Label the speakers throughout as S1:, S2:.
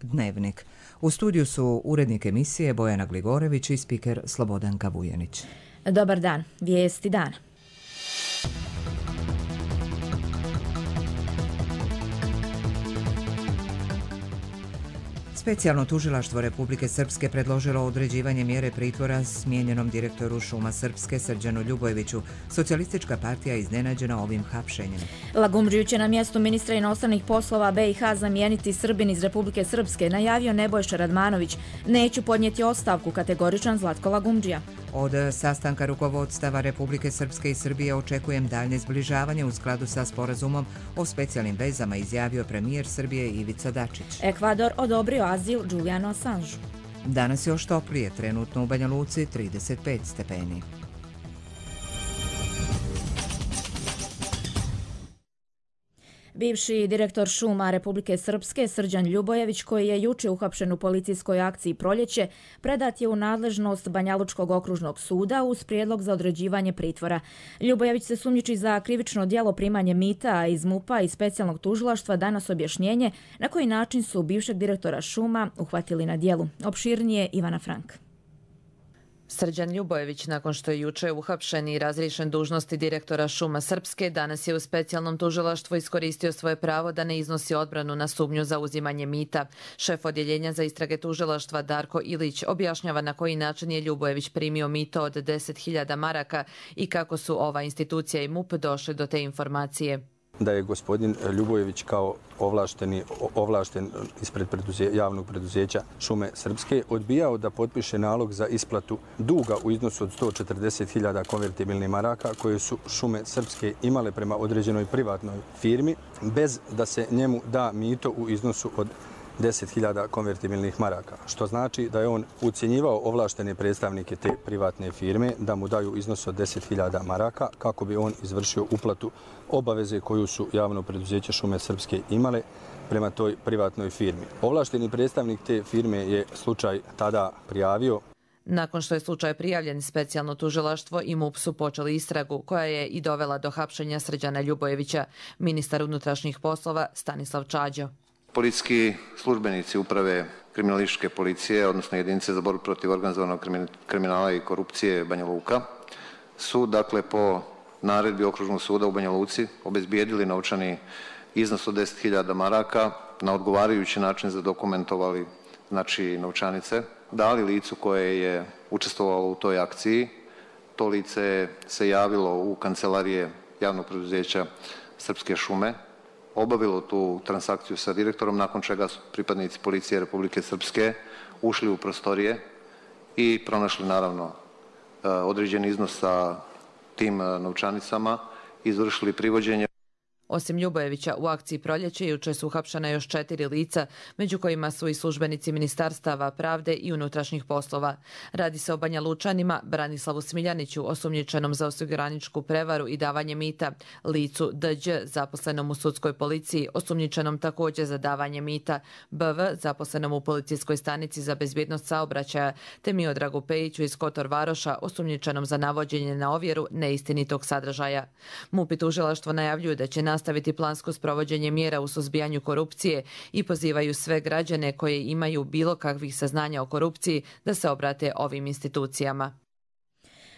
S1: Dnevnik. U studiju su urednik emisije Bojana Gligorević i spiker Slobodanka Vujanić.
S2: Dobar dan, vijesti dana.
S1: Specijalno tužilaštvo Republike Srpske predložilo određivanje mjere pritvora smijenjenom direktoru Šuma Srpske Srđanu Ljubojeviću. Socijalistička partija je iznenađena ovim hapšenjem.
S2: Lagumdžiju će na mjestu ministra inostranih poslova BiH zamijeniti Srbin iz Republike Srpske, najavio Nebojša Radmanović. Neću podnijeti ostavku, kategoričan Zlatko Lagumdžija.
S1: Od sastanka rukovodstava Republike Srpske i Srbije očekujem daljnje zbližavanje u skladu sa sporazumom o specijalnim vezama, izjavio premijer Srbije Ivica Dačić.
S2: Ekvador odobrio azil Julianu Assangeu.
S1: Danas je još toplije, trenutno u Banja Luci 35 stepeni.
S2: Bivši direktor šuma Republike Srpske Srđan Ljubojević, koji je juče uhapšen u policijskoj akciji Proljeće, predat je u nadležnost Banjalučkog okružnog suda uz prijedlog za određivanje pritvora. Ljubojević se sumnjiči za krivično djelo primanje mita, a iz MUP-a i specijalnog tužilaštva danas objašnjenje na koji način su bivšeg direktora šuma uhvatili na djelu. Opširnije Ivana Frank.
S3: Srđan Ljubojević, nakon što je juče uhapšen i razriješen dužnosti direktora Šuma Srpske, danas je u specijalnom tužilaštvu iskoristio svoje pravo da ne iznosi odbranu na sumnju za uzimanje mita. Šef odjeljenja za istrage tužilaštva Darko Ilić objašnjava na koji način je Ljubojević primio mito od 10.000 maraka i kako su ova institucija i MUP došli do te informacije.
S4: Da je gospodin Ljubojević kao ovlašten ispred javnog preduzeća Šume Srpske odbijao da potpiše nalog za isplatu duga u iznosu od 140.000 konvertibilnih maraka koje su Šume Srpske imale prema određenoj privatnoj firmi bez da se njemu da mito u iznosu od 10.000 konvertibilnih maraka, što znači da je on ucjenjivao ovlaštene predstavnike te privatne firme da mu daju iznos od 10.000 maraka kako bi on izvršio uplatu obaveze koju su javno preduzeće Šume Srpske imale prema toj privatnoj firmi. Ovlašteni predstavnik te firme je slučaj tada prijavio.
S3: Nakon što je slučaj prijavljen, specijalno tužilaštvo i MUP su počeli istragu koja je i dovela do hapšenja Srđana Ljubojevića, ministar unutrašnjih poslova Stanislav Čađo.
S5: Policijski službenici uprave kriminalističke policije, odnosno jedinice za borbu protiv organizovanog kriminala i korupcije Banja Luka, su dakle po naredbi Okružnog suda u Banja Luci obezbijedili novčani iznos od 10.000 maraka, na odgovarajući način zadokumentovali znači novčanice, dali licu koje je učestvovalo u toj akciji. To lice se javilo u kancelarije javnog preduzeća Srpske šume, obavilo tu transakciju sa direktorom, nakon čega su pripadnici policije Republike Srpske ušli u prostorije i pronašli naravno određen iznos sa tim novčanicama, izvršili privođenje.
S3: Osim Ljubojevića, u akciji Proljeće juče su uhapšena još 4 lica, među kojima su i službenici Ministarstava pravde i unutrašnjih poslova. Radi se o Banja Lučanima, Branislavu Smiljaniću, osumnjičenom za osiguraničku prevaru i davanje mita, licu Dđ, zaposlenom u sudskoj policiji, osumnjičenom također za davanje mita, BV, zaposlenom u policijskoj stanici za bezbjednost saobraćaja, te Miodragu Pejiću iz Kotor Varoša, osumnjičenom za navođenje na ovjeru neistinitog sadržaja. MUP i tužilaštvo najavljuju da će nastaviti plansko sprovođenje mjera u suzbijanju korupcije i pozivaju sve građane koji imaju bilo kakvih saznanja o korupciji da se obrate ovim institucijama.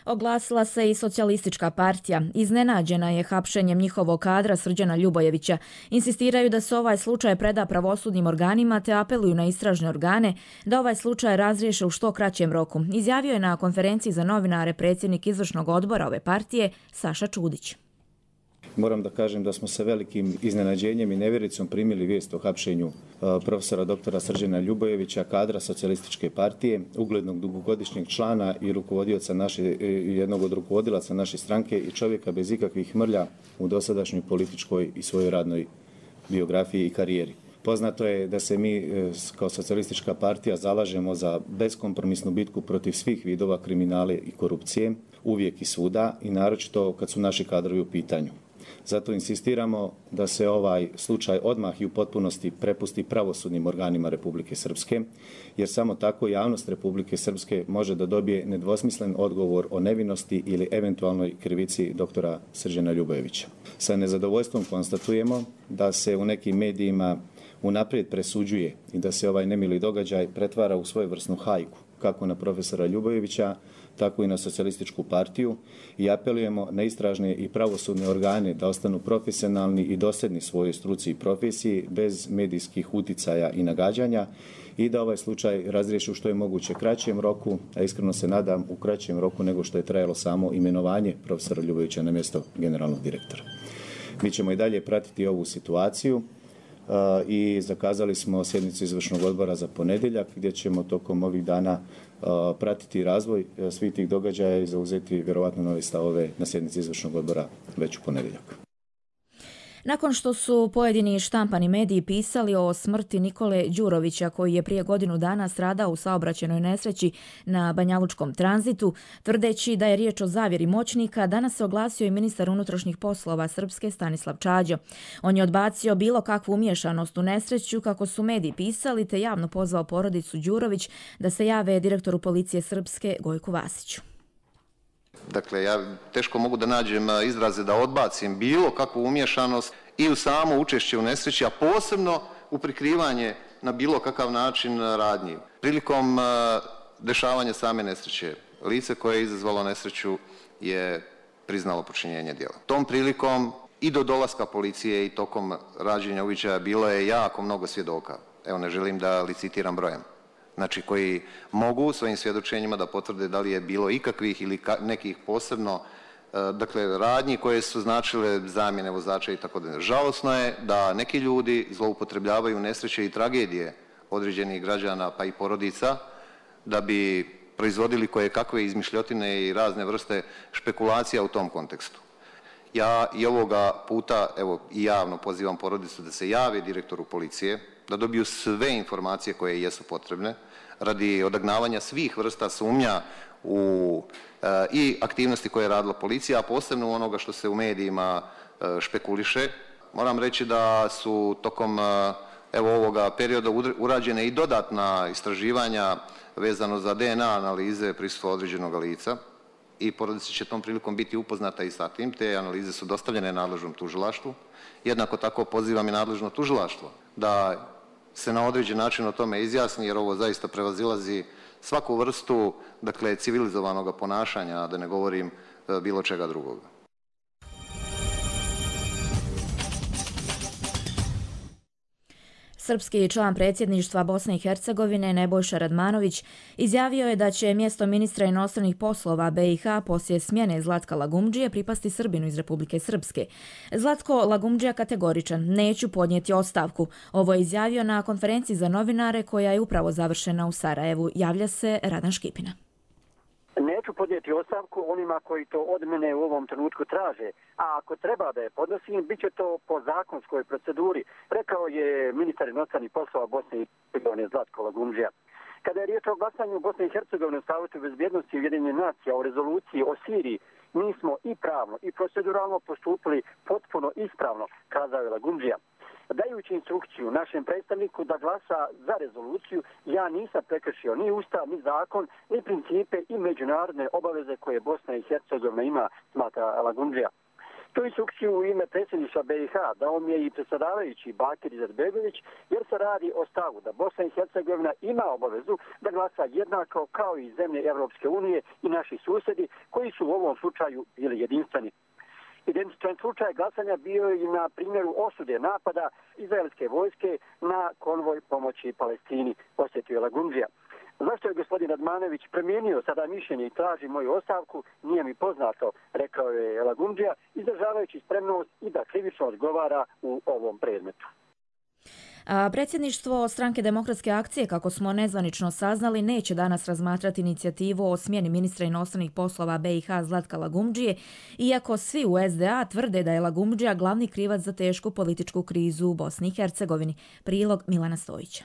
S2: Oglasila se i socijalistička partija. Iznenađena je hapšenjem njihovog kadra Srđana Ljubojevića. Insistiraju da se ovaj slučaj preda pravosudnim organima te apeluju na istražne organe da ovaj slučaj razriješe u što kraćem roku. Izjavio je na konferenciji za novinare predsjednik izvršnog odbora ove partije Saša Čudić.
S6: Moram da kažem da smo sa velikim iznenađenjem i nevjericom primili vijest o hapšenju profesora doktora Srđana Ljubojevića, kadra socijalističke partije, uglednog dugogodišnjeg člana i jednog od rukovodilaca naše stranke i čovjeka bez ikakvih mrlja u dosadašnjoj političkoj i svojoj radnoj biografiji i karijeri. Poznato je da se mi kao socijalistička partija zalažemo za beskompromisnu bitku protiv svih vidova kriminale i korupcije, uvijek i svuda i naročito kad su naši kadrovi u pitanju. Zato insistiramo da se ovaj slučaj odmah i u potpunosti prepusti pravosudnim organima Republike Srpske, jer samo tako javnost Republike Srpske može da dobije nedvosmislen odgovor o nevinosti ili eventualnoj krivici doktora Srđana Ljubojevića. Sa nezadovoljstvom konstatujemo da se u nekim medijima unaprijed presuđuje i da se ovaj nemili događaj pretvara u svojevrsnu hajku, kako na profesora Ljubojevića, tako i na socijalističku partiju i apelujemo na istražne i pravosudne organe da ostanu profesionalni i dosljedni svojoj struci i profesiji bez medijskih uticaja i nagađanja i da ovaj slučaj razriješi u što je moguće kraćem roku, a iskreno se nadam u kraćem roku nego što je trajalo samo imenovanje profesora Ljubojevića na mjesto generalnog direktora. Mi ćemo i dalje pratiti ovu situaciju i zakazali smo sjednicu izvršnog odbora za ponedjeljak gdje ćemo tokom ovih dana pratiti razvoj svih tih događaja i zauzeti vjerovatno nove stavove na sjednici izvršnog odbora već u ponedjeljak.
S2: Nakon što su pojedini štampani mediji pisali o smrti Nikole Đurovića, koji je prije godinu dana stradao u saobraćajnoj nesreći na Banjalučkom tranzitu, tvrdeći da je riječ o zavjeri moćnika, danas se oglasio i ministar unutrašnjih poslova Srpske Stanislav Čađo. On je odbacio bilo kakvu umiješanost u nesreću, kako su mediji pisali, te javno pozvao porodicu Đurović da se jave direktoru policije Srpske Gojku Vasiću.
S5: Dakle, ja teško mogu da nađem izraze da odbacim bilo kakvu umješanost i u samo učešće u nesreći, a posebno u prikrivanje na bilo kakav način radnji. Prilikom dešavanja same nesreće, lice koje je izazvalo nesreću je priznalo počinjenje djela. Tom prilikom i do dolaska policije i tokom rađenja uviđaja bilo je jako mnogo svjedoka. Evo, ne želim da licitiram brojem. Znači, koji mogu svojim svjedočenjima da potvrde da li je bilo ikakvih ili nekih posebno radnji koje su značile zamjene vozača i tako dalje. Žalosno je da neki ljudi zloupotrebljavaju nesreće i tragedije određenih građana pa i porodica da bi proizvodili koje kakve izmišljotine i razne vrste špekulacija u tom kontekstu. Ja i ovoga puta, evo, i javno pozivam porodicu da se jave direktoru policije, da dobiju sve informacije koje jesu potrebne radi odagnavanja svih vrsta sumnja u i aktivnosti koje je radila policija, a posebno onoga što se u medijima špekuliše. Moram reći da su tokom ovoga perioda urađene i dodatna istraživanja vezano za DNA analize prisustva određenog lica i porodica će tom prilikom biti upoznata i sa tim. Te analize su dostavljene nadležnom tužilaštvu. Jednako tako pozivam i nadležno tužilaštvo da se na određen način o tome izjasni, jer ovo zaista prevazilazi svaku vrstu, civilizovanog ponašanja, da ne govorim bilo čega drugoga.
S2: Srpski član predsjedništva Bosne i Hercegovine Nebojša Radmanović izjavio je da će mjesto ministra inostranih poslova BiH poslije smjene Zlatka Lagumdžije pripasti Srbinu iz Republike Srpske. Zlatko Lagumdžija kategoričan: neću podnijeti ostavku. Ovo je izjavio na konferenciji za novinare koja je upravo završena u Sarajevu. Javlja se Radan Škipina.
S7: Neću podnijeti ostavku onima koji to od mene u ovom trenutku traže, a ako treba da je podnosim, bit će to po zakonskoj proceduri, rekao je ministar inostranih poslova Bosne i Hercegovine Zlatko Lagumdžija. Kada je riječ o glasanju Bosne i Hercegovine u Savetu bezbjednosti Ujedinjenih nacija o rezoluciji o Siriji, mi smo i pravno i proceduralno postupili potpuno ispravno, kazao je Lagumdžija. Dajući instrukciju našem predstavniku da glasa za rezoluciju, ja nisam prekršio ni ustav, ni zakon, ni principe i međunarodne obaveze koje Bosna i Hercegovina ima, smatra Lagumdžija. Tu instrukciju u ime predsjedništva BiH dao mi je i predsjedavajući Bakir Izetbegović, jer se radi o stavu da Bosna i Hercegovina ima obavezu da glasa jednako kao i zemlje Evropske unije i naši susjedi koji su u ovom slučaju bili jedinstveni. Identičan slučaj glasanja bio je i na primjeru osude napada izraelske vojske na konvoj pomoći Palestini, posjetio je Lagumdžija. Zašto je gospodin Radmanović promijenio sada mišljenje i traži moju ostavku, nije mi poznato, rekao je Lagumdžija, izražavajući spremnost i da krivično odgovara u ovom predmetu.
S2: Predsjedništvo Stranke demokratske akcije, kako smo nezvanično saznali, neće danas razmatrati inicijativu o smjeni ministra inostranih poslova BiH Zlatka Lagumdžije, iako svi u SDA tvrde da je Lagumdžija glavni krivac za tešku političku krizu u Bosni i Hercegovini. Prilog Milana Stojića.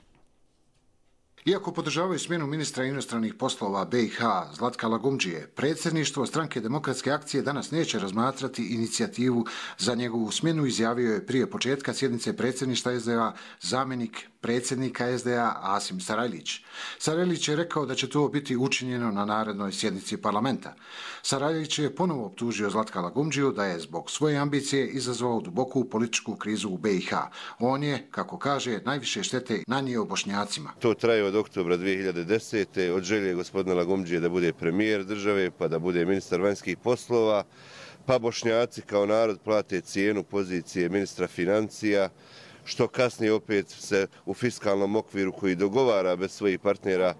S8: Iako podržavaju smjenu ministra inostranih poslova BiH Zlatka Lagumdžije, predsjedništvo Stranke demokratske akcije danas neće razmatrati inicijativu za njegovu smjenu, izjavio je prije početka sjednice predsjedništva SDA zamjenik predsjednika SDA Asim Sarajlić. Sarajlić je rekao da će to biti učinjeno na narednoj sjednici parlamenta. Sarajlić je ponovo optužio Zlatka Lagumdžiju da je zbog svoje ambicije izazvao duboku političku krizu u BiH. On je, kako kaže, najviše štete nanio Bošnjacima.
S9: To traje od oktobra 2010. od želje gospodina Lagumdžije da bude premijer države, pa da bude ministar vanjskih poslova, pa Bošnjaci kao narod plate cijenu pozicije ministra financija, što kasnije opet se u fiskalnom okviru koji dogovara bez svojih partnera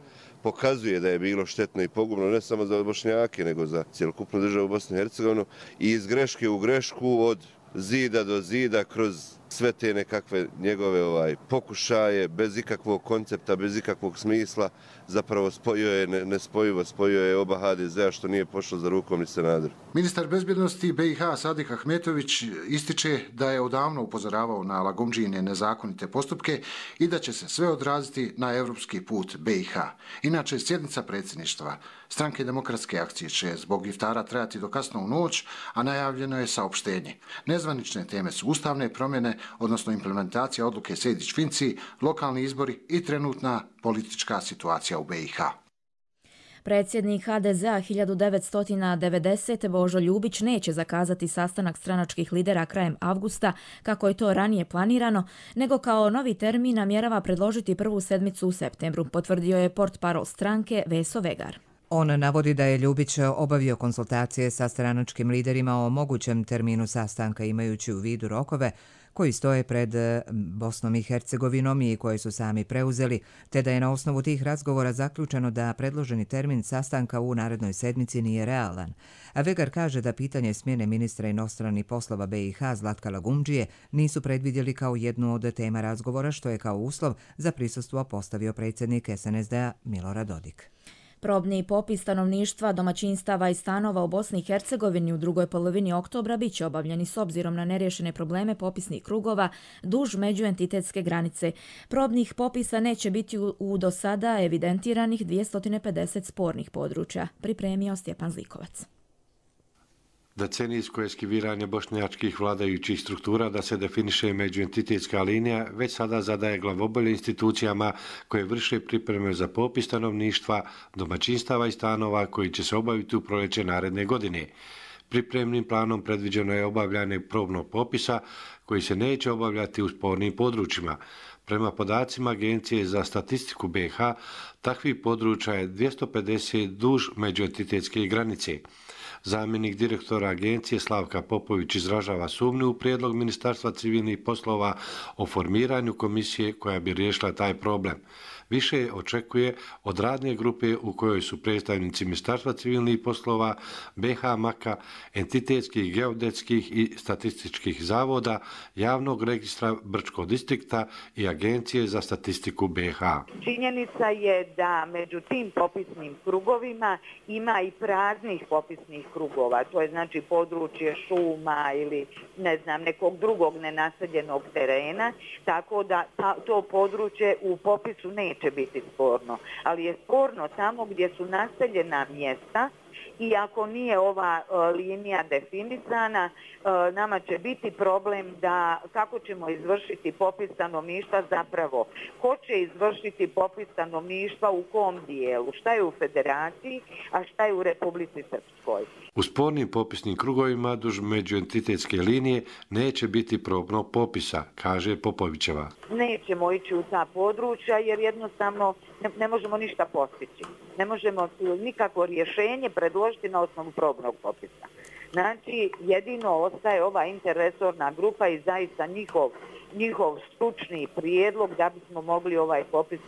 S9: pokazuje da je bilo štetno i pogubno ne samo za Bošnjake, nego za cjelokupnu državu Bosnu i Hercegovinu i iz greške u grešku, od zida do zida, kroz sve te nekakve njegove pokušaje, bez ikakvog koncepta, bez ikakvog smisla, zapravo spojio je nespojivo, spojio je oba HDZ-a, što nije pošlo za rukom ni Sanaderu.
S8: Ministar bezbjednosti BiH Sadik Ahmetović ističe da je odavno upozoravao na Lagumdžijine nezakonite postupke i da će se sve odraziti na evropski put BiH. Inače, sjednica predsjedništva Stranke demokratske akcije će zbog iftara trajati do kasno u noć, a najavljeno je saopštenje. Nezvanične teme su ustavne promjene, odnosno implementacija odluke Sejdić-Finci, lokalni izbori i trenutna politička situacija u BiH.
S2: Predsjednik HDZ-a 1990. Božo Ljubić neće zakazati sastanak stranačkih lidera krajem avgusta, kako je to ranije planirano, nego kao novi termin namjerava predložiti prvu sedmicu u septembru, potvrdio je portparol stranke Veso Vegar.
S1: On navodi da je Ljubić obavio konsultacije sa stranačkim liderima o mogućem terminu sastanka, imajući u vidu rokove koji stoje pred Bosnom i Hercegovinom i koje su sami preuzeli, te da je na osnovu tih razgovora zaključeno da predloženi termin sastanka u narednoj sedmici nije realan. A Vegar kaže da pitanje smjene ministra inostranih poslova BiH Zlatka Lagumdžije nisu predvidjeli kao jednu od tema razgovora, što je kao uslov za prisustvo postavio predsjednik SNSD-a Milorad Dodik.
S2: Probni popis stanovništva, domaćinstava i stanova u Bosni i Hercegovini u drugoj polovini oktobra bit će obavljeni s obzirom na neriješene probleme popisnih krugova duž međuentitetske granice. Probnih popisa neće biti u do sada evidentiranih 250 spornih područja, pripremio Stjepan Zlikovac.
S10: Decenijsko eskiviranje bošnjačkih vladajućih struktura da se definiše međuentitetska linija već sada zadaje glavobolje institucijama koje vrše pripreme za popis stanovništva, domaćinstava i stanova koji će se obaviti u proljeće naredne godine. Pripremnim planom predviđeno je obavljanje probnog popisa koji se neće obavljati u spornim područjima. Prema podacima Agencije za statistiku BiH, takvih područja je 250 duž međuentitetske granice. Zamjenik direktora agencije Slavka Popović izražava sumnju u prijedlog Ministarstva civilnih poslova o formiranju komisije koja bi riješila taj problem. Više očekuje od radne grupe u kojoj su predstavnici Ministarstva civilnih poslova, BiH MAK-a, entitetskih, geodetskih i statističkih zavoda, javnog registra Brčkog distrikta i Agencije za statistiku BiH.
S11: Činjenica je da među tim popisnim krugovima ima i praznih popisnih krugova, to je znači područje šuma ili nekog drugog nenaseljenog terena, tako da to područje u popisu neće biti sporno, ali je sporno tamo gdje su naseljena mjesta i ako nije ova linija definisana, nama će biti problem da kako ćemo izvršiti popis stanovništva zapravo. Ko će izvršiti popis stanovništva u kom dijelu? Šta je u Federaciji, a šta je u Republici Srpskoj?
S10: U spornim popisnim krugovima duž međuentitetske linije neće biti probnog popisa, kaže Popovićeva.
S11: Nećemo ići u ta područja jer jednostavno ne možemo ništa postići. Ne možemo nikakvo rješenje predložiti na osnovu probnog popisa. Znači, jedino ostaje ova interresorna grupa i zaista njihov stručni prijedlog da bismo mogli ovaj popis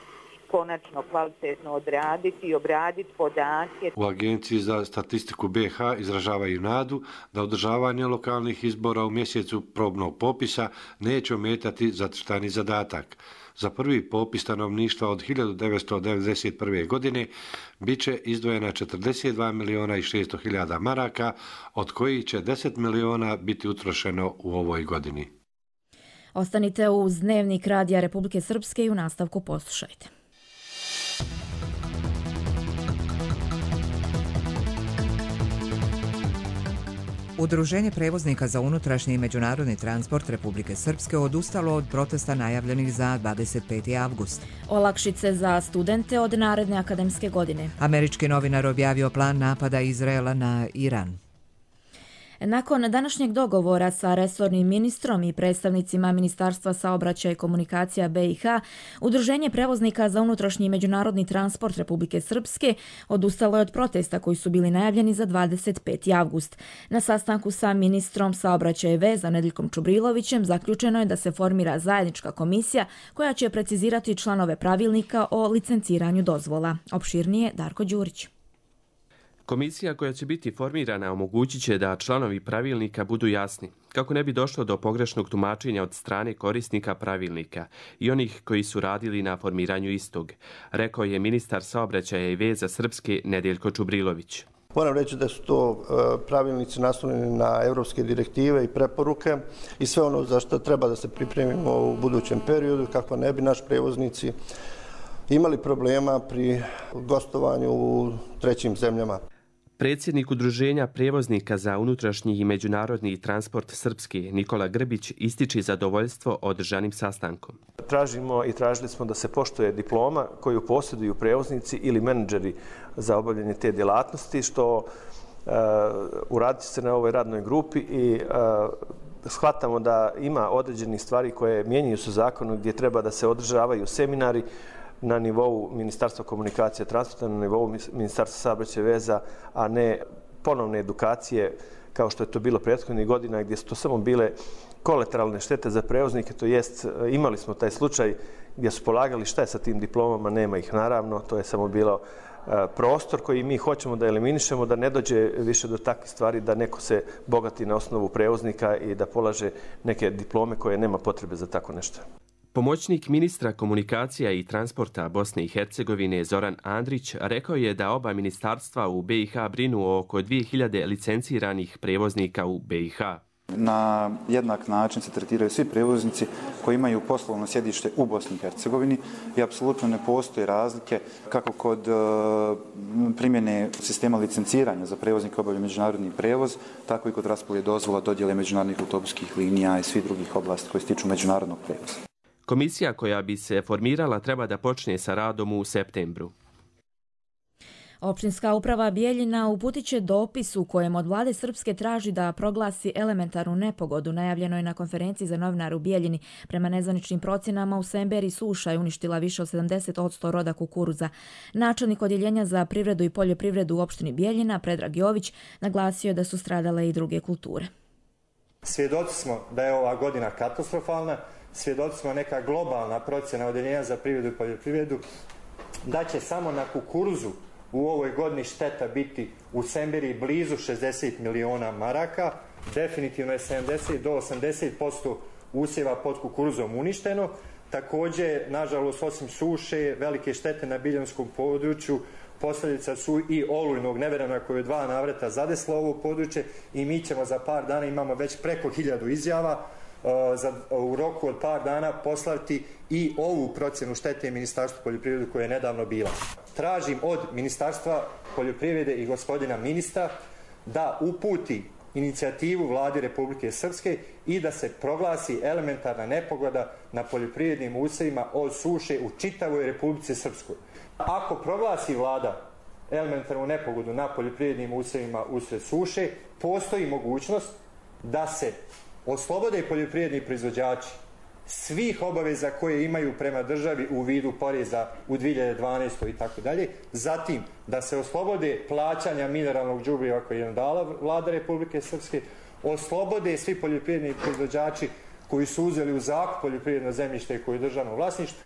S11: konačno kvalitetno odraditi i obraditi podatke.
S10: U Agenciji za statistiku BiH izražavaju nadu da održavanje lokalnih izbora u mjesecu probnog popisa neće ometati zacrtani zadatak. Za prvi popis stanovništva od 1991. godine bit će izdvojena 42 miliona i 600 hiljada maraka, od kojih će 10 miliona biti utrošeno u ovoj godini.
S2: Ostanite uz Dnevnik Radija Republike Srpske i u nastavku poslušajte.
S1: Udruženje prevoznika za unutrašnji i međunarodni transport Republike Srpske odustalo od protesta najavljenih za 25. avgust.
S2: Olakšice za studente od naredne akademske godine.
S1: Američki novinar objavio plan napada Izraela na Iran.
S2: Nakon današnjeg dogovora sa resornim ministrom i predstavnicima Ministarstva saobraćaja i komunikacija BiH, Udruženje prevoznika za unutrašnji i međunarodni transport Republike Srpske odustalo je od protesta koji su bili najavljeni za 25. avgust. Na sastanku sa ministrom saobraćaja i veza Nedeljkom Čubrilovićem zaključeno je da se formira zajednička komisija koja će precizirati članove pravilnika o licenciranju dozvola. Opširnije Darko Đurić.
S12: Komisija koja će biti formirana omogućit će da članovi pravilnika budu jasni, kako ne bi došlo do pogrešnog tumačenja od strane korisnika pravilnika i onih koji su radili na formiranju istog, rekao je ministar saobraćaja i veza Srpske Nedeljko Čubrilović.
S13: Moram reći da su to pravilnici naslonjeni na evropske direktive i preporuke i sve ono za što treba da se pripremimo u budućem periodu, kako ne bi naš prevoznici imali problema pri gostovanju u trećim zemljama.
S12: Predsjednik Udruženja prevoznika za unutrašnji i međunarodni transport Srpske Nikola Grbić ističe zadovoljstvo održanim sastankom.
S14: Tražimo i tražili smo da se poštuje diploma koju posjeduju prevoznici ili menadžeri za obavljanje te djelatnosti, što uradit će se na ovoj radnoj grupi i shvatamo da ima određenih stvari koje mijenjaju se u zakonu gdje treba da se održavaju seminari na nivou Ministarstva komunikacije i transporta, na nivou Ministarstva saobraćaja i veza, a ne ponovne edukacije kao što je to bilo prethodnih godina gdje su to samo bile kolateralne štete za prevoznike, to jest imali smo taj slučaj gdje su polagali šta je sa tim diplomama, nema ih naravno, to je samo bilo prostor koji mi hoćemo da eliminišemo, da ne dođe više do takvih stvari, da neko se bogati na osnovu prevoznika i da polaže neke diplome koje nema potrebe za tako nešto.
S12: Pomoćnik ministra komunikacija i transporta Bosne i Hercegovine Zoran Andrić rekao je da oba ministarstva u BiH brinu oko 2000 licenciranih prevoznika u BiH.
S15: Na jednak način se tretiraju svi prevoznici koji imaju poslovno sjedište u Bosni i Hercegovini i apsolutno ne postoje razlike kako kod primjene sistema licenciranja za prevoznike obavlja međunarodni prevoz, tako i kod raspodjele dozvola, dodjele međunarodnih autobuskih linija i svih drugih oblasti koje se tiču međunarodnog prevoza.
S12: Komisija koja bi se formirala treba da počne sa radom u septembru.
S2: Općinska uprava Bijeljina uputit će dopis u kojem od vlade Srpske traži da proglasi elementarnu nepogodu. Najavljeno je na konferenciji za novinare u Bijeljini. Prema nezvaničnim procjenama u Semberi suša je uništila više od 70% roda kukuruza. Načelnik odjeljenja za privredu i poljoprivredu u opštini Bijeljina, Predrag Jović, naglasio je da su stradale i druge kulture.
S16: Svjedoci smo da je ova godina katastrofalna, svjedoci smo neka globalna procjena odjeljenja za privredu i poljoprivredu da će samo na kukuruzu u ovoj godini šteta biti u Semberi blizu 60 miliona maraka. Definitivno je 70 do 80% usjeva pod kukuruzom uništeno. Također, nažalost, osim suše, velike štete na biljanskom području, posljedica su i olujnog nevremena koje je 2 navrata zadeslo ovo područje i mi ćemo za par dana, imamo već preko 1000 izjava, u roku od par dana poslati i ovu procjenu štete Ministarstvu poljoprivrede koja je nedavno bila. Tražim od Ministarstva poljoprivrede i gospodina ministra da uputi inicijativu vladi Republike Srpske i da se proglasi elementarna nepogoda na poljoprivrednim usjevima od suše u čitavoj Republici Srpskoj. Ako proglasi vlada elementarnu nepogodu na poljoprivrednim usjevima usred suše, postoji mogućnost da se oslobode poljoprivredni proizvođači svih obaveza koje imaju prema državi u vidu poreza u 2012. i tako dalje. Zatim, da se oslobode plaćanja mineralnog đubriva koje je dala vlada Republike Srpske, oslobode svi poljoprivredni proizvođači koji su uzeli u zakup poljoprivredno zemljište koje je državno vlasništvo.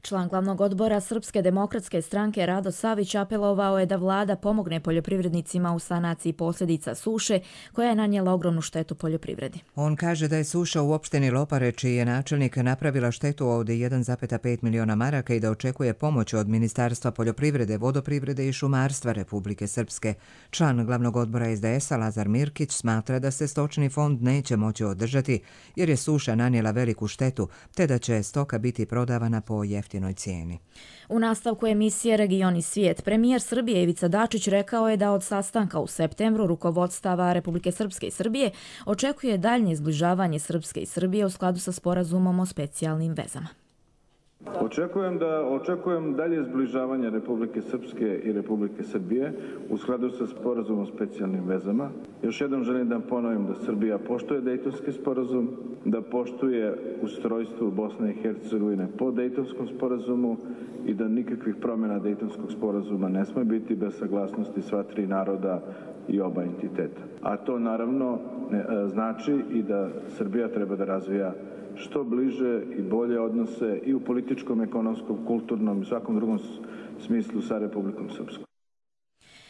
S2: Član glavnog odbora Srpske demokratske stranke Rado Savić apelovao je da vlada pomogne poljoprivrednicima u sanaciji posljedica suše koja je nanijela ogromnu štetu poljoprivredi.
S1: On kaže da je suša u opštini Lopare, čiji je načelnik, napravila štetu od 1,5 miliona maraka i da očekuje pomoć od Ministarstva poljoprivrede, vodoprivrede i šumarstva Republike Srpske. Član glavnog odbora SDS-a Lazar Mirkić smatra da se stočni fond neće moći održati jer je suša nanijela veliku štetu, te da će stoka biti prodavana po jeftinim jeftinoj cijeni.
S2: U nastavku emisije Region i svijet, premijer Srbije Ivica Dačić rekao je da od sastanka u septembru rukovodstava Republike Srpske i Srbije očekuje daljnje izbližavanje Srpske i Srbije u skladu sa sporazumom o specijalnim vezama.
S17: Očekujem dalje zbližavanje Republike Srpske i Republike Srbije u skladu sa sporazumom o specijalnim vezama. Još jednom želim da ponovim da Srbija poštuje Dejtonski sporazum, da poštuje ustrojstvo Bosne i Hercegovine po Dejtonskom sporazumu i da nikakvih promjena Dejtonskog sporazuma ne smije biti bez saglasnosti sva tri naroda i oba entiteta. A to naravno znači i da Srbija treba da razvija što bliže i bolje odnose i u političkom, ekonomskom, kulturnom i svakom drugom smislu sa Republikom Srpskom.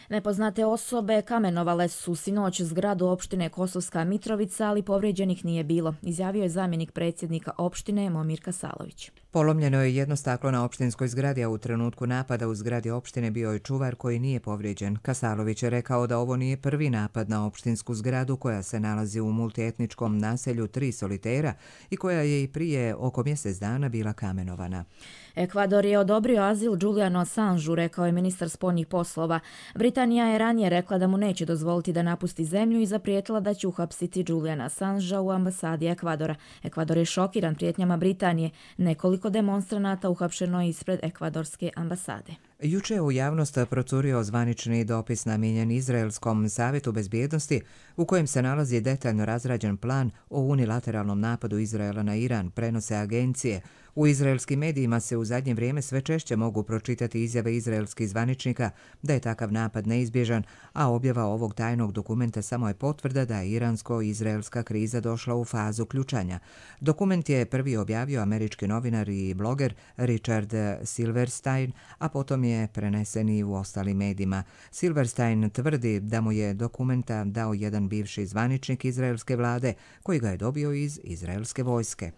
S2: Nepoznate osobe kamenovale su sinoć zgradu opštine Kosovska Mitrovica, ali povrijeđenih nije bilo, izjavio je zamjenik predsjednika opštine Momir Kasalović.
S1: Polomljeno je jedno staklo na opštinskoj zgradi, a u trenutku napada u zgradi opštine bio je čuvar koji nije povrijeđen. Kasalović je rekao da ovo nije prvi napad na opštinsku zgradu koja se nalazi u multietničkom naselju Tri solitera i koja je i prije oko mjesec dana bila kamenovana.
S2: Ekvador je odobrio azil Julianu Assangeu, rekao je ministar spoljnih poslova. Britanija je ranije rekla da mu neće dozvoliti da napusti zemlju i zaprijetila da će uhapsiti Juliana Assangea u ambasadi Ekvadora. Ekvador je šokiran prijetnjama Britanije. Nekoliko demonstranata uhapšeno je ispred ekvadorske ambasade.
S1: Juče je u javnost procurio zvanični dopis namijenjen Izraelskom savjetu bezbjednosti u kojem se nalazi detaljno razrađen plan o unilateralnom napadu Izraela na Iran, prenose agencije. U izraelskim medijima se u zadnje vrijeme sve češće mogu pročitati izjave izraelskih zvaničnika da je takav napad neizbježan, a objava ovog tajnog dokumenta samo je potvrda da je iransko-izraelska kriza došla u fazu ključanja. Dokument je prvi objavio američki novinar i bloger Richard Silverstein, a potom je prenesen i u ostalim medijima. Silverstein tvrdi da mu je dokumenta dao jedan bivši zvaničnik izraelske vlade koji ga je dobio iz izraelske vojske.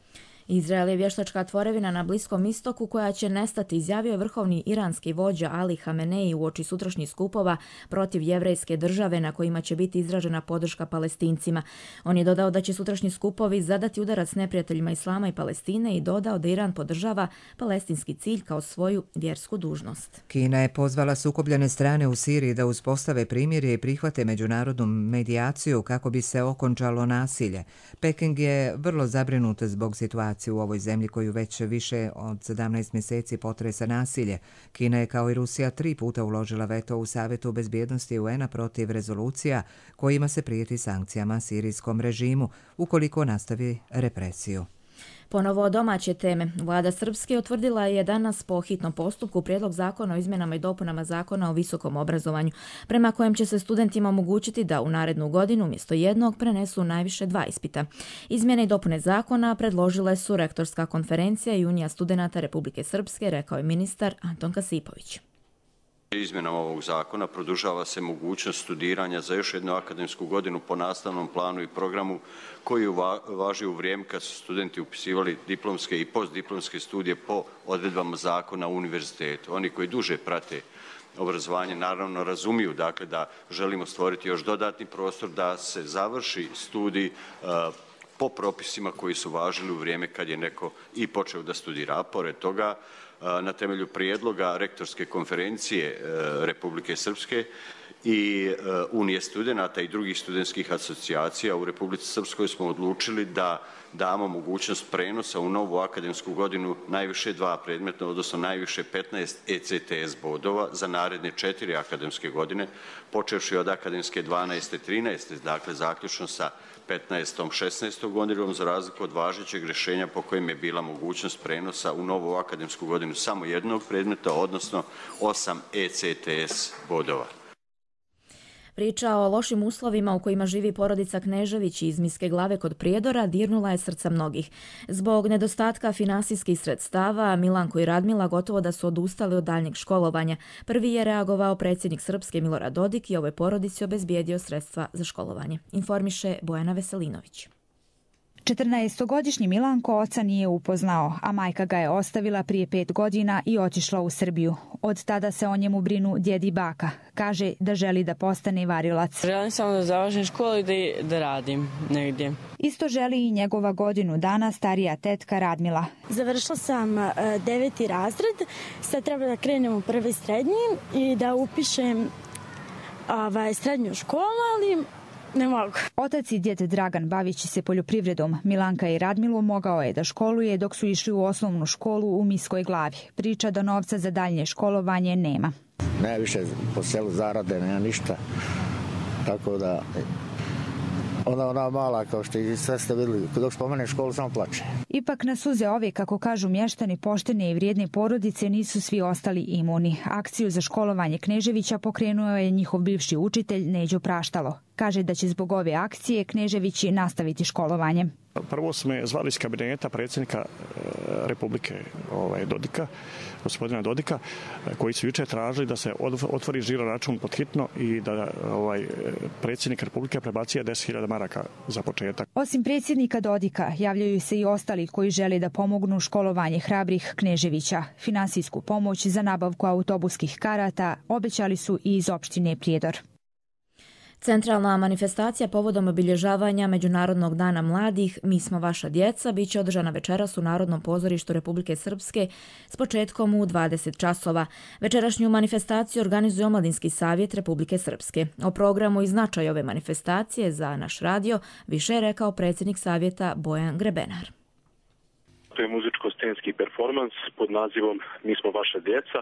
S2: Izrael je vještačka tvorevina na Bliskom istoku koja će nestati, izjavio je vrhovni iranski vođa Ali Hamenei uoči sutrašnjih skupova protiv jevrejske države na kojima će biti izražena podrška Palestincima. On je dodao da će sutrašnji skupovi zadati udarac neprijateljima Islama i Palestine i dodao da Iran podržava palestinski cilj kao svoju vjersku dužnost.
S1: Kina je pozvala sukobljene strane u Siriji da uspostave primirje i prihvate međunarodnu medijaciju kako bi se okončalo nasilje. Peking je vrlo zabrinut zbog situacije u ovoj zemlji koju već više od 17 mjeseci potresa nasilje. Kina je kao i Rusija 3 puta uložila veto u Savjetu bezbjednosti UN-a protiv rezolucija kojima se prijeti sankcijama sirijskom režimu ukoliko nastavi represiju.
S2: Ponovo domaće teme. Vlada Srpske utvrdila je danas po hitnom postupku prijedlog zakona o izmjenama i dopunama zakona o visokom obrazovanju, prema kojem će se studentima omogućiti da u narednu godinu umjesto jednog prenesu najviše 2 ispita. Izmjene i dopune zakona predložile su Rektorska konferencija i Unija studenata Republike Srpske, rekao je ministar Anton Kasipović.
S18: Izmjenama ovog zakona produžava se mogućnost studiranja za još jednu akademsku godinu po nastavnom planu i programu koji važi u vrijeme kad su studenti upisivali diplomske i postdiplomske studije po odredbama zakona u univerzitetu. Oni koji duže prate obrazovanje naravno razumiju dakle, da želimo stvoriti još dodatni prostor da se završi studij po propisima koji su važili u vrijeme kad je neko i počeo da studira. A pored toga, na temelju prijedloga Rektorske konferencije Republike Srpske i Unije studenata i drugih studentskih asocijacija u Republici Srpskoj smo odlučili da damo mogućnost prenosa u novu akademsku godinu najviše 2 predmeta, odnosno najviše 15 ECTS bodova za naredne 4 akademske godine, počevši od akademske 12. 13. dakle zaključno sa 15. 16. godinom, za razliku od važećeg rješenja po kojem je bila mogućnost prenosa u novu akademsku godinu samo jednog predmeta, odnosno 8 ECTS bodova.
S2: Priča o lošim uslovima u kojima živi porodica Knežević iz Miske Glave kod Prijedora dirnula je srca mnogih. Zbog nedostatka finansijskih sredstava, Milanko i Radmila gotovo da su odustali od daljnjeg školovanja. Prvi je reagovao predsjednik Srpske Milorad Dodik i ovoj porodici obezbijedio sredstva za školovanje. Informiše Bojana Veselinović.
S19: 14-godišnji Milanko oca nije upoznao, a majka ga je ostavila prije 5 godina i otišla u Srbiju. Od tada se o njemu brinu djed i baka. Kaže da želi da postane varilac.
S20: Želim samo da završim školu i da radim negdje.
S19: Isto želi i njegova godinu dana starija tetka Radmila.
S21: Završila sam 9. razred, sad treba da krenem u prvi srednji i da upišem srednju školu, ali ne mogu.
S19: Otac i djed Dragan bavići se poljoprivredom, Milanka i Radmilu mogao je da školuje dok su išli u osnovnu školu u Miskoj Glavi. Priča da novca za daljnje školovanje nema.
S22: Ne više po selu zarade, nema ništa. Tako da ona mala, kao što i sve ste vidjeli, dok spomene školu samo plače.
S19: Ipak na suze ove, kako kažu mještani poštene i vrijedne porodice, nisu svi ostali imuni. Akciju za školovanje Kneževića pokrenuo je njihov bivši učitelj Neđo Praštalo. Kaže da će zbog ove akcije Kneževići nastaviti školovanje.
S23: Prvo smo je zvali iz kabineta predsjednika Republike Dodika, gospodina Dodika, koji su jučer tražili da se otvori žiro račun pod hitno i da predsjednik Republike prebacije 10.000 maraka za početak.
S19: Osim predsjednika Dodika, javljaju se i ostali koji žele da pomognu školovanje hrabrih Kneževića. Finansijsku pomoć za nabavku autobuskih karata obećali su i iz opštine Prijedor.
S2: Centralna manifestacija povodom obilježavanja Međunarodnog dana mladih Mi smo vaša djeca biće održana večeras u Narodnom pozorištu Republike Srpske s početkom u 20 časova. Večerašnju manifestaciju organizuje Omladinski savjet Republike Srpske. O programu i značaju ove manifestacije za naš radio više je rekao predsjednik savjeta Bojan Grebenar.
S24: To je muzičko-scenski performans pod nazivom Mi smo vaša djeca.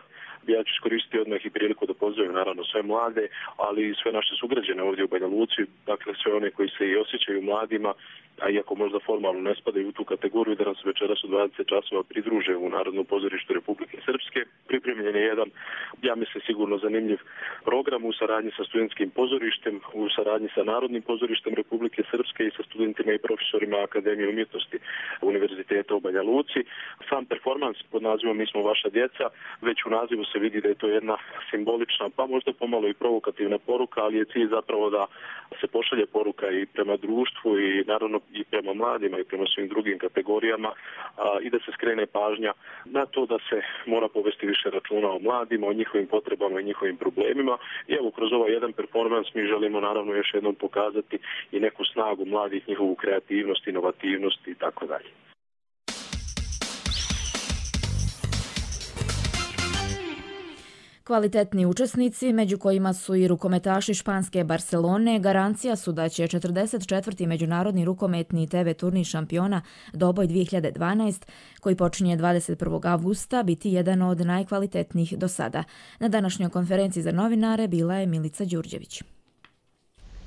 S24: Ja ću iskoristiti odmah i priliku da pozdravim naravno sve mlade, ali i sve naše sugrađane ovdje u Banja Luci, dakle sve one koji se i osjećaju mladima, a iako možda formalno ne spadaju u tu kategoriju, da nam se večeras u 20 časova pridruže u Narodnom pozorištu Republike Srpske. Pripremljen je jedan, ja mislim, sigurno zanimljiv program u saradnji sa studentskim pozorištem, u saradnji sa Narodnim pozorištem Republike Srpske i sa studentima i profesorima Akademije umjetnosti Univerziteta u Banja Luci. Sam performans pod nazivom Mi smo vaša djeca, već u nazivu se vidi da je to jedna simbolična, pa možda pomalo i provokativna poruka, ali je cilj zapravo da se pošalje poruka i prema društvu i naravno i prema mladima i prema svim drugim kategorijama i da se skrene pažnja na to da se mora povesti više računa o mladima, o njihovim potrebama i njihovim problemima. I evo, kroz ovaj jedan performans mi želimo naravno još jednom pokazati i neku snagu mladih, njihovu kreativnost, inovativnost i tako dalje.
S2: Kvalitetni učesnici, među kojima su i rukometaši španske Barcelone, garancija su da će 44. Međunarodni rukometni TV turnir šampiona Doboj 2012, koji počinje 21. avgusta, biti jedan od najkvalitetnijih do sada. Na današnjoj konferenciji za novinare bila je Milica Đurđević.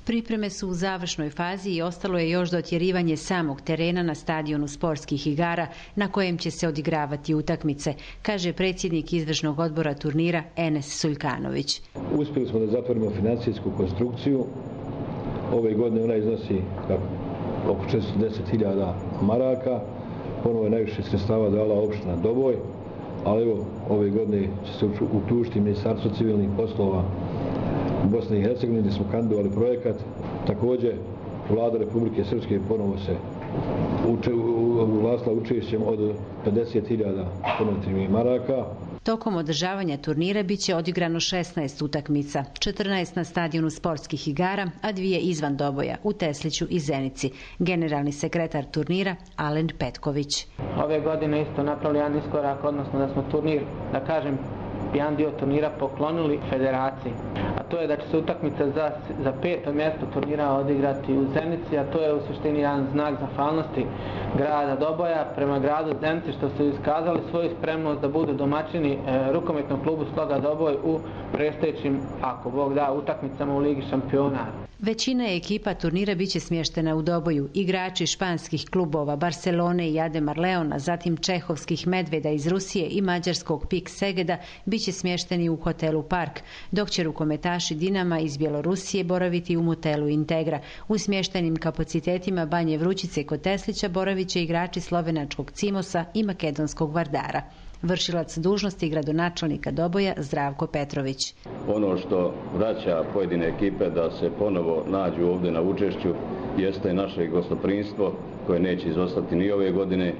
S25: Pripreme su u završnoj fazi i ostalo je još dotjerivanje samog terena na stadionu sportskih igara na kojem će se odigravati utakmice, kaže predsjednik izvršnog odbora turnira Enes Suljkanović.
S26: Uspjeli smo da zatvorimo financijsku konstrukciju. Ove godine ona iznosi oko 410.000 maraka. Ponovo je najviše sredstava dala opština Doboj, ali evo, ove godine će se uključiti Ministarstvo civilnih poslova Bosne i Hercegovine, gdje smo kandidovali projekat. Također, Vlada Republike Srpske ponovo se uglasila učešćem od 50.000 konvertibilnih maraka.
S25: Tokom održavanja turnira bit će odigrano 16 utakmica, 14 na stadionu sportskih igara, a 2 izvan Doboja, u Tesliću i Zenici. Generalni sekretar turnira Alen Petković.
S27: Ove godine isto napravili jedan iskorak, odnosno da smo turnir, da kažem, jedan dio turnira poklonili federaciji. A to je da će se utakmica za 5. mjesto turnira odigrati u Zenici, a to je u suštini jedan znak zahvalnosti grada Doboja prema gradu Zenici, što su iskazali svoju spremnost da budu domaćini rukometnog klubu Sloga Doboj u predstojećim, ako Bog da, utakmicama u Ligi šampiona.
S25: Većina ekipa turnira biće smještena u Doboju. Igrači španskih klubova Barcelone i Ademar Leona, zatim čehovskih Medveda iz Rusije i mađarskog PIK Segeda biće smješteni u hotelu Park, dok će rukometaši Dinama iz Bjelorusije boraviti u motelu Integra. U smještenim kapacitetima Banje Vrućice kod Teslića boravit će igrači slovenačkog Cimosa i makedonskog Vardara. Vršilac dužnosti gradonačelnika Doboja Zdravko Petrović.
S28: Ono što vraća pojedine ekipe da se ponovo nađu ovdje na učešću jeste naše gostoprimstvo koje neće izostati ni ove godine.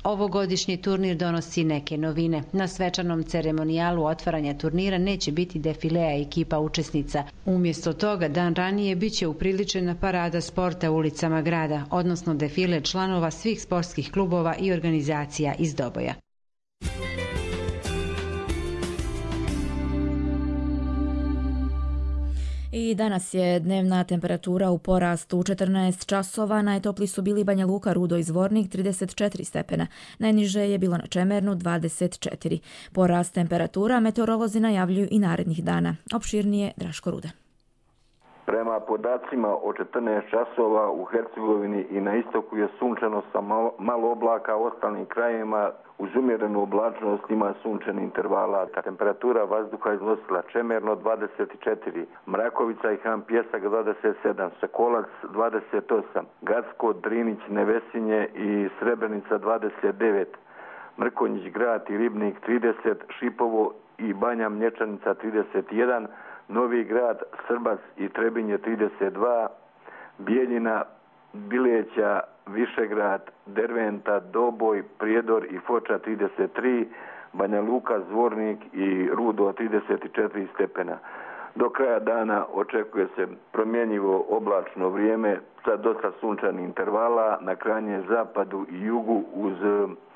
S25: Ovogodišnji turnir donosi neke novine. Na svečanom ceremonijalu otvaranja turnira neće biti defilea ekipa učesnica. Umjesto toga, dan ranije biće upriličena parada sporta ulicama grada, odnosno defile članova svih sportskih klubova i organizacija iz Doboja.
S2: I danas je dnevna temperatura u porastu u 14 časova. Najtopliji su bili Banja Luka, Rudo i Zvornik 34 stepena. Najniže je bilo na Čemernu 24. Porast temperatura meteorolozi najavljuju i narednih dana. Opširnije Draško Ruda.
S3: Prema podacima o 14 časova u Hercegovini i na istoku je sunčano sa malo oblaka, u ostalim krajevima uz umjerenu oblačnost ima sunčani intervala. Temperatura vazduha iznosila Čemerno 24, Mrakovica i Han Pjesak 27, Sokolac 28, Gacko, Drinić, Nevesinje i Srebrenica 29, Mrkonjić grad i Ribnik 30, Šipovo i Banja Mlječanica 31, Novi grad, Srbac i Trebinje 32, Bijeljina, Bileća, Višegrad, Derventa, Doboj, Prijedor i Foča 33, Banja Luka, Zvornik i Rudo 34 stepena. Do kraja dana očekuje se promjenjivo oblačno vrijeme sa dosta sunčanih intervala na krajnjem zapadu i jugu uz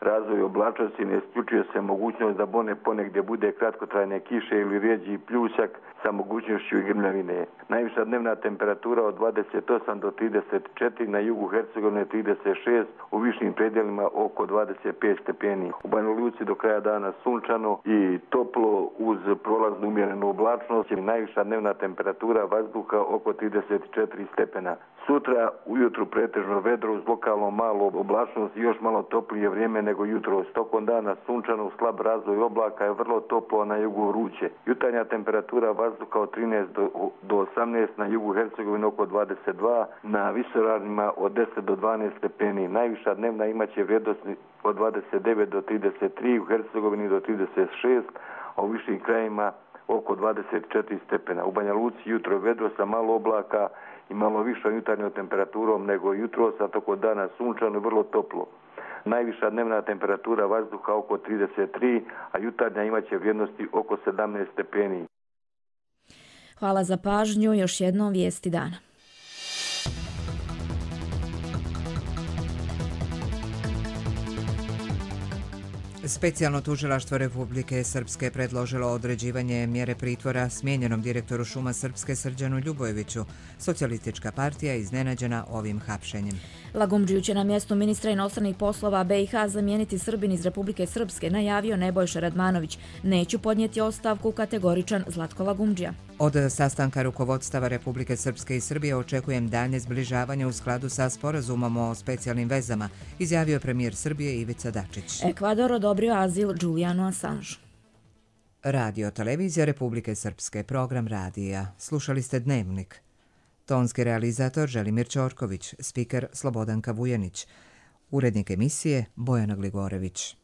S3: razvoj oblačnosti. Ne isključuje se mogućnost da ponegdje bude kratkotrajne kiše ili rijeđi pljusak sa mogućnošću i grmljavine. Najviša dnevna temperatura od 28 do 34, na jugu Hercegovine 36, u višim predjelima oko 25 stepeni. U Banja Luci do kraja dana sunčano i toplo uz prolaznu umjerenu oblačnost. Najviša dnevna temperatura vazduha oko 34 stepena. Sutra ujutru pretežno vedro uz lokalno malo oblačnost i još malo toplije vrijeme nego jutro. Tokom dana sunčano, slab razvoj oblaka je vrlo toplo, na jugu vruće. Jutarnja temperatura vazduha od 13 do 18, na jugu Hercegovine oko 22, na visoravnima od 10 do 12 stepeni. Najviša dnevna imaće vrijednost od 29 do 33, u Hercegovini do 36, a u višim krajima oko 24 stepena. U Banja Luci jutro vedro sa malo oblaka i malo višom jutarnjom temperaturom nego jutro, sa toko dana sunčano i vrlo toplo. Najviša dnevna temperatura vazduha oko 33, a jutarnja imaće vrijednosti oko 17 stepeni.
S2: Hvala za pažnju, još jednom vijesti dana.
S1: Specijalno tužilaštvo Republike Srpske predložilo određivanje mjere pritvora smijenjenom direktoru Šuma Srpske Srđanu Ljubojeviću. Socijalistička partija iznenađena ovim hapšenjem.
S2: Lagumdžiju će na mjestu ministra inostranih poslova BiH zamijeniti Srbin iz Republike Srpske, najavio Nebojša Radmanović. Neću podnijeti ostavku, kategoričan Zlatko Lagumdžija.
S1: Od sastanka rukovodstava Republike Srpske i Srbije očekujem daljnje zbližavanje u skladu sa sporazumom o specijalnim vezama, izjavio premijer Srbije Ivica Dačić.
S2: Ekvador odobrio azil Julianu Assangeu.
S1: Radio televizija Republike Srpske, program radija. Slušali ste Dnevnik. Tonski realizator Želimir Ćorković, spiker Slobodanka Vujanić, urednik emisije Bojana Gligorević.